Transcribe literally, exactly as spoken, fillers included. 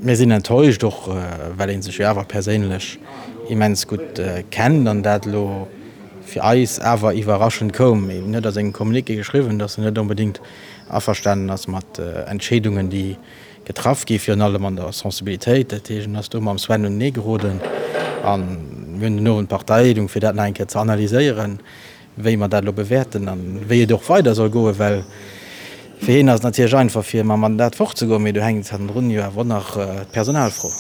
Mir sinn enttäuscht, och well ee sech jo awer perséinlech immens gutt kennt an dat elo fir eis awer iwwerraschend koum. Hien huet a sengem Communiqué geschriwwen, datt en net onbedéngt averstanen ass mat Entscheedungen, déi getraff gi virun allem an der Sensibilitéit. Dat heescht, en ass do mam Sven unenee geroden a mir hunn den Owend Parteileedung, fir dat nach eng Kéier ze analyséieren, wéi mer dat elo bewäerten a wéi et och weider soll goen, well fir hien ass et natierlech einfach fir mam Mandat fortzegoen, mee do hänkt hannendrun jo awer och nach d'Personalfro.